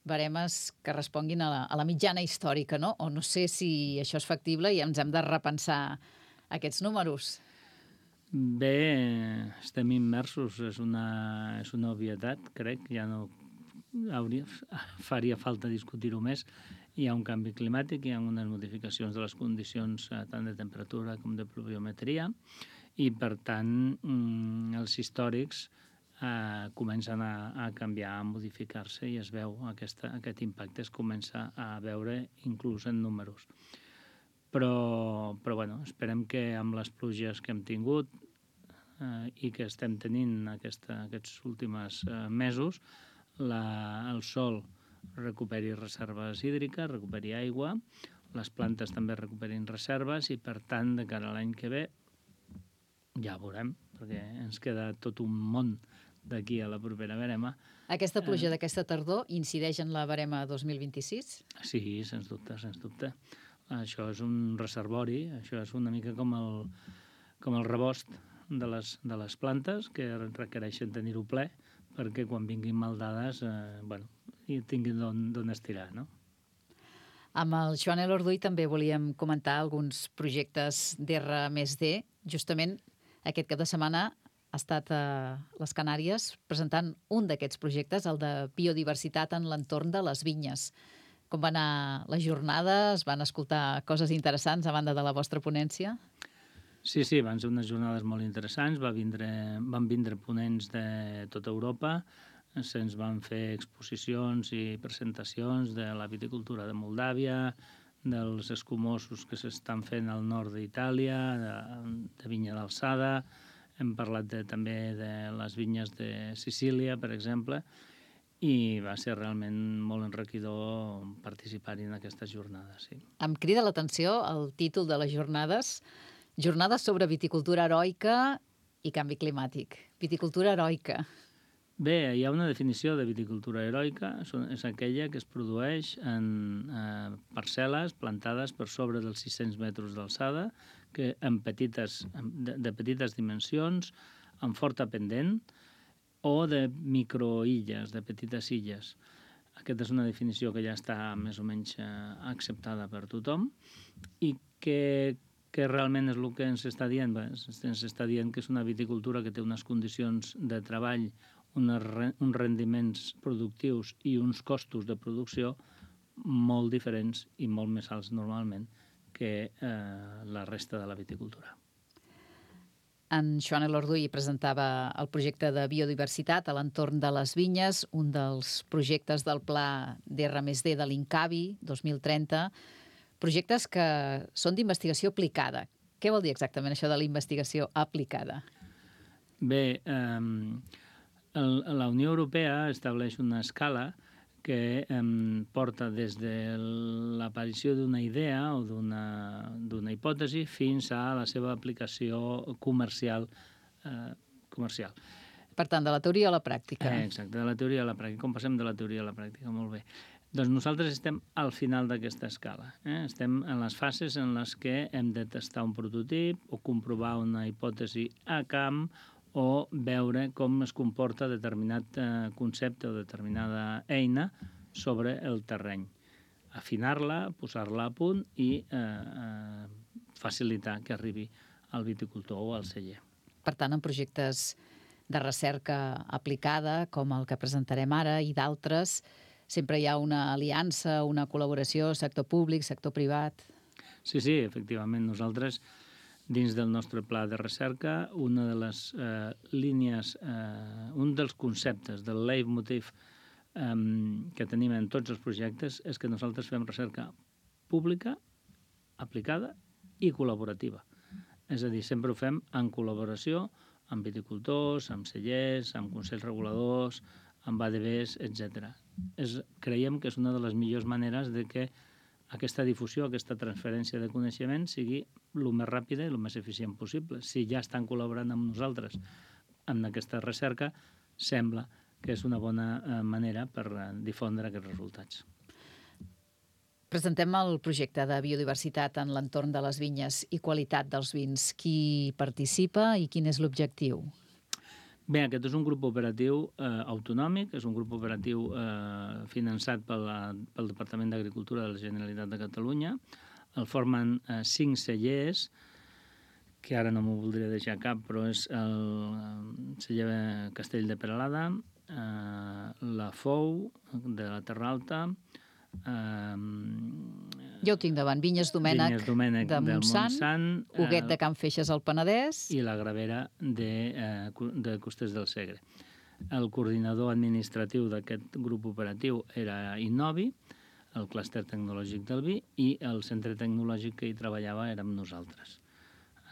baremes que responguin a la, a la mitjana històrica, no? O no sé si això és factible i ens hem de repensar aquests números. Bé, estem immersos, és una, és una obvietat, crec, ja no hauria, faria falta discutir-ho més. Hi ha un canvi climàtic, hi ha unes modificacions de les condicions tant de temperatura com de pluviometria, i per tant els històrics eh, comencen a, a canviar, a modificar-se, i es veu aquesta, aquest impacte es comença a veure inclús en números. Però, però bueno, esperem que amb les pluges que hem tingut eh, i que estem tenint aquesta, aquests últims eh, mesos, la, el sol recuperi reserves hídriques, recuperi aigua, les plantes també recuperin reserves, i per tant, de cara a l'any que ve, ja veurem, perquè ens queda tot un món d'aquí a la propera barema. Aquesta pluja eh... d'aquesta tardor incideix en la barema dos mil vint-i-sis? Sí, sens dubte, sens dubte. Això és un reservori, això és una mica com el, com el rebost de les, de les plantes, que requereixen tenir-ho ple, perquè quan vinguin maldades, eh, bueno, i tinguin d'on estirar, no? Amb el Joan Elorduy també volíem comentar alguns projectes d'R més D. Justament aquest cap de setmana ha estat a les Canàries presentant un d'aquests projectes, el de biodiversitat en l'entorn de les vinyes. Com van anar les jornades? Van escoltar coses interessants a banda de la vostra ponència? Sí, sí, van ser unes jornades molt interessants. Va vindre, van vindre ponents de tota Europa, se'ns van fer exposicions i presentacions de la viticultura de Moldàvia, dels escumosos que s'estan fent al nord d'Itàlia, de, de vinya d'alçada. Hem parlat de, també de les vinyes de Sicília, per exemple, i va ser realment molt enriquidor participar-hi en aquestes jornades. Sí. Em crida l'atenció el títol de les jornades, Jornades sobre viticultura heroica i canvi climàtic. Viticultura heroica. Bé, hi ha una definició de viticultura heroica, és aquella que es produeix en eh, parcel·les plantades per sobre dels sis-cents metres d'alçada, que en petites, de, de petites dimensions, amb forta pendent, o de microilles, de petites illes. Aquesta és una definició que ja està més o menys eh, acceptada per tothom, i que, que realment és el que ens està dient. Bé, ens està dient que és una viticultura que té unes condicions de treball, unes, uns rendiments productius i uns costos de producció molt diferents i molt més alts normalment que eh, la resta de la viticultura. En Joan Elorduy presentava el projecte de biodiversitat a l'entorn de les vinyes, un dels projectes del pla d'R més D de l'Incavi dos mil trenta, projectes que són d'investigació aplicada. Què vol dir exactament això de la investigació aplicada? Bé, eh, el, la Unió Europea estableix una escala que eh, porta des de l'aparició d'una idea o d'una hipòtesi fins a la seva aplicació comercial. Eh, comercial. Per tant, de la teoria a la pràctica. Eh, exacte, de la teoria a la pràctica. Com passem de la teoria a la pràctica? Molt bé. Doncs nosaltres estem al final d'aquesta escala. Eh? Estem en les fases en les que hem de testar un prototip o comprovar una hipòtesi a camp o veure com es comporta determinat eh, concepte o determinada eina sobre el terreny. Afinar-la, posar-la a punt i eh, eh, facilitar que arribi al viticultor o al celler. Per tant, en projectes de recerca aplicada, com el que presentarem ara, i d'altres, sempre hi ha una aliança, una col·laboració, sector públic, sector privat. Sí, sí, efectivament. Nosaltres, dins del nostre pla de recerca, una de les eh, línies, eh, un dels conceptes del leitmotiv eh, que tenim en tots els projectes és que nosaltres fem recerca pública, aplicada i col·laborativa. És a dir, sempre ho fem en col·laboració amb viticultors, amb cellers, amb consells reguladors, amb A D Bs, etcètera. Creiem que és una de les millors maneres de que aquesta difusió, aquesta transferència de coneixement sigui el més ràpida i el més eficient possible. Si ja estan col·laborant amb nosaltres en aquesta recerca, sembla que és una bona manera per difondre aquests resultats. Presentem el projecte de biodiversitat en l'entorn de les vinyes i qualitat dels vins. Qui participa i quin és l'objectiu? Bé, aquest és un grup operatiu eh, autonòmic, és un grup operatiu eh, finançat pel, pel Departament d'Agricultura de la Generalitat de Catalunya. El formen eh, cinc cellers, que ara no m'ho voldria deixar cap, però és el celler Castell de Peralada, eh, la Fou, de la Terra Alta, Uh, jo ho tinc davant, Vinyes Domènec, Vinyes Domènec de Montsant, Montsant Huguet de Can Feixes al Penedès i la Gravera de, eh, de Costers del Segre. El coordinador administratiu d'aquest grup operatiu era Innovi, el clúster tecnològic del vi, i el centre tecnològic que hi treballava érem nosaltres.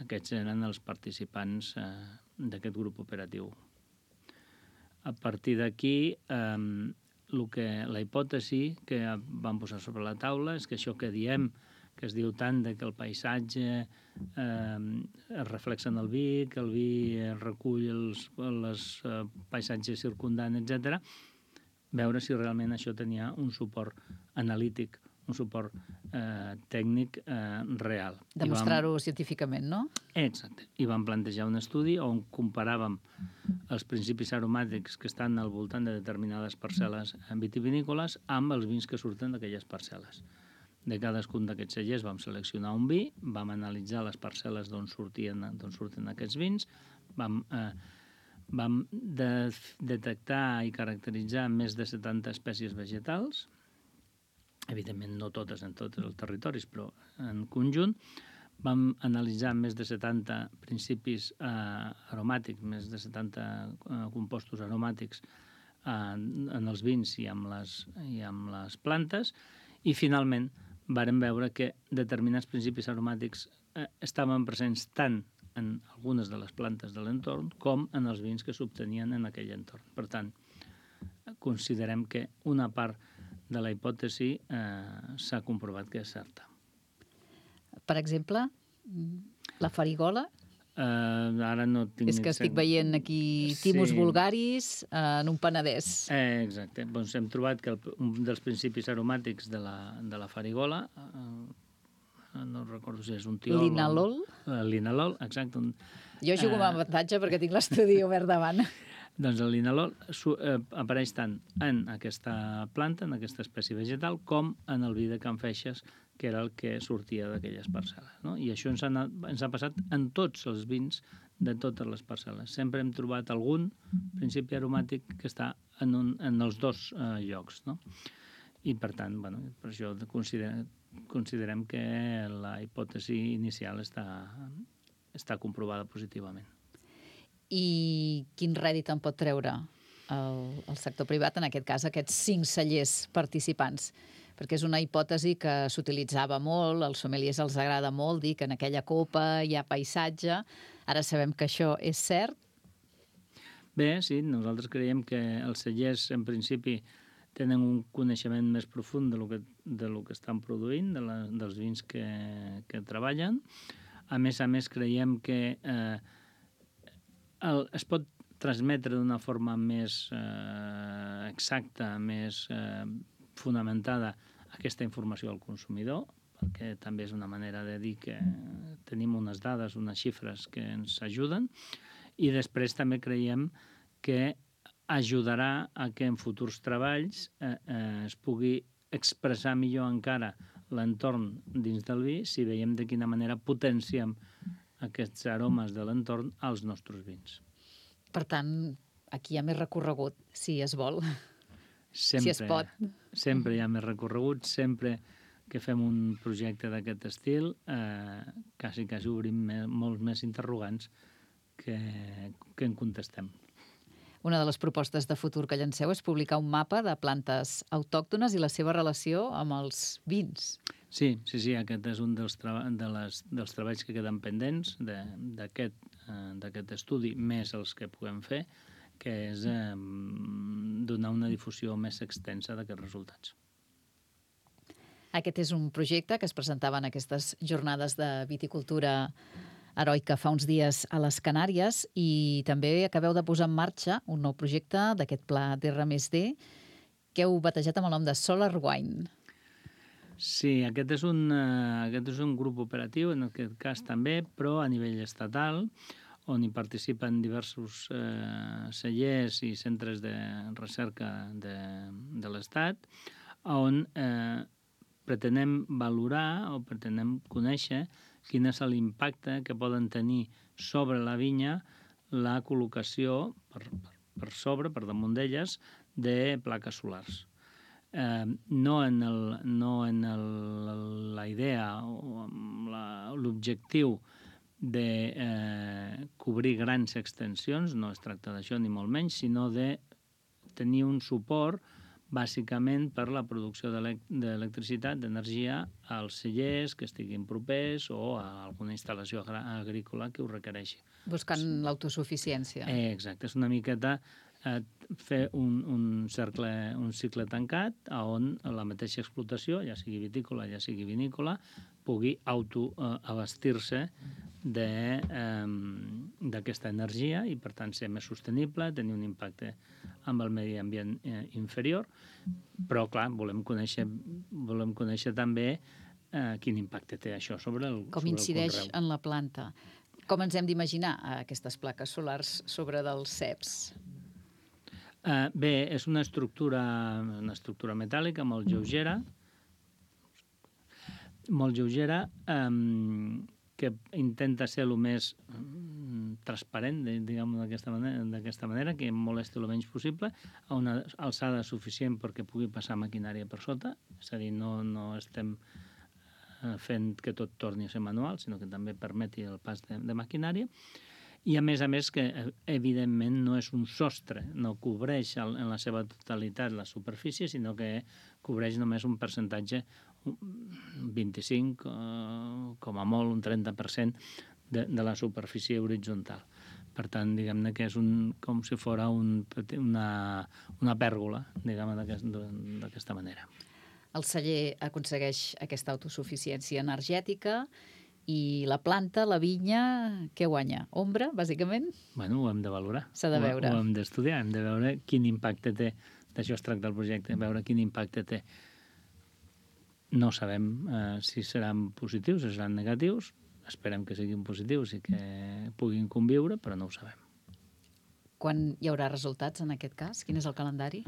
Aquests eren els participants eh, d'aquest grup operatiu. A partir d'aquí, eh, el que, la hipòtesi que vam posar sobre la taula és que això que diem, que es diu tant de que el paisatge eh, es reflexa en el vi, que el vi recull els, els eh, paisatges circundants, etcètera, veure si realment això tenia un suport analític, un suport eh, tècnic eh, real. Demostrar-ho vam... científicament, no? Exacte. I vam plantejar un estudi on comparàvem els principis aromàtics que estan al voltant de determinades parcel·les vitivinícoles amb els vins que surten d'aquelles parcel·les. De cadascun d'aquests cellers vam seleccionar un vi, vam analitzar les parcel·les d'on sortien, d'on surten aquests vins, vam, eh, vam de, detectar i caracteritzar més de setanta espècies vegetals, evidentment no totes en tots els territoris, però en conjunt. Vam analitzar més de setanta principis eh, aromàtics, més de setanta eh, compostos aromàtics eh, en els vins i amb les, i amb les plantes, i finalment vàrem veure que determinats principis aromàtics eh, estaven presents tant en algunes de les plantes de l'entorn com en els vins que s'obtenien en aquell entorn. Per tant, considerem que una part de la hipòtesi eh, s'ha comprovat que és certa. Per exemple, la farigola? Uh, ara no tinc... És que estic veient aquí Timus sí. vulgaris uh, en un Penedès. Eh, exacte. Doncs hem trobat que el, un dels principis aromàtics de la, de la farigola, uh, no recordo si és un tiol... Linalol? Uh, linalol, exacte. Un, jo jugo uh, amb avantatge perquè tinc l'estudi obert davant. Doncs el linalol eh, apareix tant en aquesta planta, en aquesta espècie vegetal, com en el vi de Can Feixes, que era el que sortia d'aquelles parcel·les. No? I això ens ha, ens ha passat en tots els vins de totes les parcel·les. Sempre hem trobat algun principi aromàtic que està en, un, en els dos eh, llocs. No? I, per tant, bueno, per això considerem, considerem que la hipòtesi inicial està, està comprovada positivament. I quin rèdit en pot treure el, el sector privat, en aquest cas aquests cinc cellers participants? Perquè és una hipòtesi que s'utilitzava molt, als sommeliers els agrada molt dir que en aquella copa hi ha paisatge. Ara sabem que això és cert. Bé, sí, nosaltres creiem que els cellers, en principi, tenen un coneixement més profund de lo que, de lo que estan produint, de la, dels vins que, que treballen. A més a més, creiem que eh, el, es pot transmetre d'una forma més eh, exacta, més eh, fonamentada aquesta informació al consumidor, perquè també és una manera de dir que tenim unes dades, unes xifres que ens ajuden, i després també creiem que ajudarà a que en futurs treballs eh, eh, es pugui expressar millor encara l'entorn dins del vi si veiem de quina manera potenciem aquests aromes de l'entorn als nostres vins. Per tant, aquí hi ha més recorregut, si es vol, sempre, si es pot. Sempre hi ha més recorregut, sempre que fem un projecte d'aquest estil, eh, quasi, quasi obrim me, molts més interrogants que, que en contestem. Una de les propostes de futur que llanceu és publicar un mapa de plantes autòctones i la seva relació amb els vins. Sí, sí, sí, aquest és un dels, treba de les, dels treballs que queden pendents d'aquest eh, estudi, més els que puguem fer, que és eh, donar una difusió més extensa d'aquests resultats. Aquest és un projecte que es presentava en aquestes jornades de viticultura heroica fa uns dies a les Canàries i també acabeu de posar en marxa un nou projecte d'aquest pla d'R més D que heu batejat amb el nom de Solar Wine. Sí, aquest és, un, uh, aquest és un grup operatiu, en aquest cas també, però a nivell estatal, on hi participen diversos eh, cellers i centres de recerca de, de l'Estat, on eh, pretenem valorar o pretenem conèixer quin és l'impacte que poden tenir sobre la vinya la col·locació per, per, per sobre, per damunt d'elles, de plaques solars. Eh, no en, el, no en el, la idea o l'objectiu de eh, cobrir grans extensions, no es tracta d'això ni molt menys, sinó de tenir un suport bàsicament per la producció d'electricitat, d'energia als cellers que estiguin propers o a alguna instal·lació agrícola que ho requereixi. Buscant l'autosuficiència. Eh, exacte, és una miqueta eh, fer un, un, cercle, un cicle tancat on la mateixa explotació, ja sigui vitícola, ja sigui vinícola, pugui autoabastir-se d'aquesta eh, energia i, per tant, ser més sostenible, tenir un impacte amb el medi ambient eh, inferior, però, clar, volem conèixer, volem conèixer també eh, quin impacte té això sobre el, Com sobre incideix el conreu. en la planta. Com ens hem d'imaginar aquestes plaques solars sobre dels ceps? Uh, bé, és una estructura, una estructura metàl·lica molt lleugera, molt lleugera, um, que intenta ser el més um, transparent, diguem d'aquesta manera, d'aquesta manera, que molesti el menys possible, a una alçada suficient perquè pugui passar maquinària per sota, és a dir, no, no estem fent que tot torni a ser manual, sinó que també permeti el pas de, de maquinària. I, a més a més, que evidentment no és un sostre, no cobreix el, en la seva totalitat la superfície, sinó que cobreix només un percentatge, un vint-i-cinc, eh, com a molt un trenta per cent de, de la superfície horitzontal. Per tant, diguem-ne que és un, com si fos un, una, una pèrgola, diguem-ne d'aquesta manera. El celler aconsegueix aquesta autosuficiència energètica i la planta, la vinya, què guanya? Ombra, bàsicament? Bueno, ho hem de valorar. S'ha de veure. Ho, ho hem d'estudiar, hem de veure quin impacte té. D'això es tracta el projecte, veure quin impacte té. No sabem eh, si seran positius, si seran negatius. Esperem que siguin positius i que puguin conviure, però no ho sabem. Quan hi haurà resultats en aquest cas? Quin és el calendari?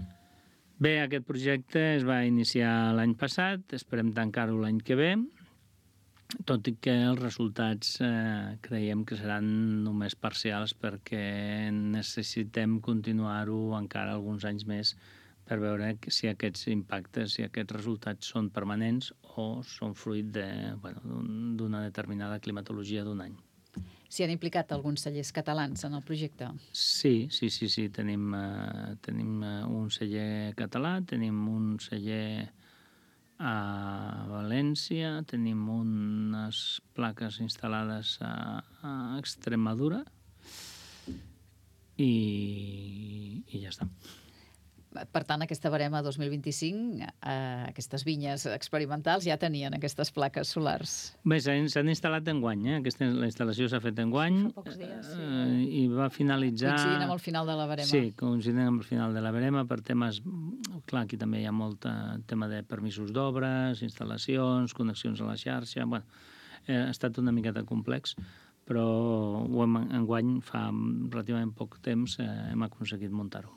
Bé, aquest projecte es va iniciar l'any passat, esperem tancar-ho l'any que ve, tot i que els resultats eh, creiem que seran només parcials perquè necessitem continuar-ho encara alguns anys més per veure si aquests impactes, si aquests resultats són permanents o són fruit de, bueno, d'una determinada climatologia d'un any. S'hi han implicat alguns cellers catalans en el projecte? Sí, sí, sí, sí. Tenim, uh, tenim uh, un celler català, tenim un celler a València, tenim unes plaques instal·lades a, a Extremadura i, i ja està. Per tant, aquesta barema dos mil vint-i-cinc, eh, aquestes vinyes experimentals ja tenien aquestes plaques solars. Bé, s'han instal·lat enguany, eh? Aquesta, la instal·lació s'ha fet enguany. Fa pocs dies, sí. eh, I va finalitzar... Coincidint amb el final de la barema. Sí, coincidint amb el final de la barema per temes... Clar, aquí també hi ha molt tema de permisos d'obres, instal·lacions, connexions a la xarxa... Bueno, eh, ha estat una miqueta complex, però ho hem, enguany, fa relativament poc temps, eh, hem aconseguit muntar-ho.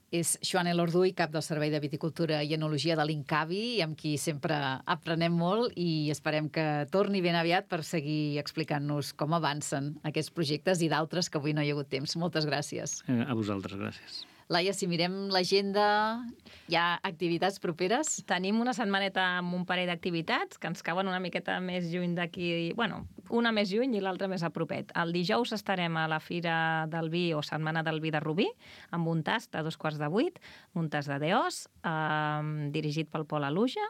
És Joan Elorduy, cap del Servei de Viticultura i Enologia de l'Incavi, amb qui sempre aprenem molt i esperem que torni ben aviat per seguir explicant-nos com avancen aquests projectes i d'altres que avui no hi ha hagut temps. Moltes gràcies. Eh, a vosaltres, gràcies. Laia, si mirem l'agenda, hi ha activitats properes? Tenim una setmaneta amb un parell d'activitats que ens cauen una miqueta més lluny d'aquí, bueno, una més lluny i l'altra més a propet. El dijous estarem a la Fira del Vi o Setmana del Vi de Rubí, amb un tast a dos quarts de vuit, un tast de Deós, eh, dirigit pel Pol Aluja,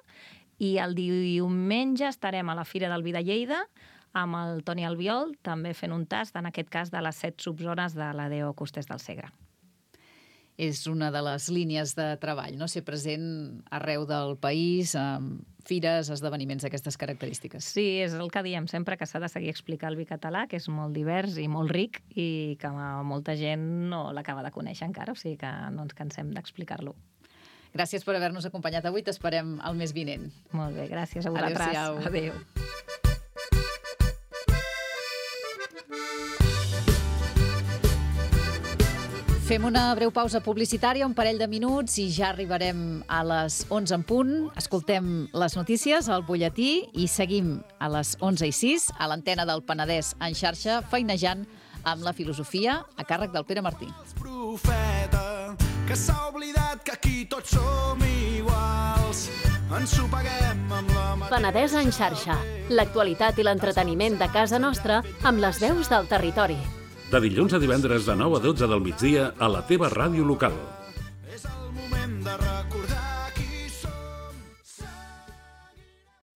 i el diumenge estarem a la Fira del Vi de Lleida, amb el Toni Albiol, també fent un tast, en aquest cas, de les set subzones de la D O Costers del Segre. És una de les línies de treball, no? Ser present arreu del país, amb fires, esdeveniments d'aquestes característiques. Sí, és el que diem sempre, que s'ha de seguir explicar el vi català, que és molt divers i molt ric i que molta gent no l'acaba de conèixer encara, o sigui que no ens cansem d'explicar-lo. Gràcies per haver-nos acompanyat avui, t'esperem el mes vinent. Molt bé, gràcies a vosaltres. Adéu-siau. Adéu. Fem una breu pausa publicitària, un parell de minuts, i ja arribarem a les onze en punt. Escoltem les notícies, el butlletí, i seguim a les onze i sis a l'antena del Penedès en xarxa, feinejant amb la filosofia a càrrec del Pere Martí. Profeta, que s'ha oblidat que aquí tots som iguals. Ens ho paguem amb la... Penedès en xarxa, l'actualitat i l'entreteniment de casa nostra amb les veus del territori. De dilluns a divendres de nou a dotze del migdia a la teva ràdio local.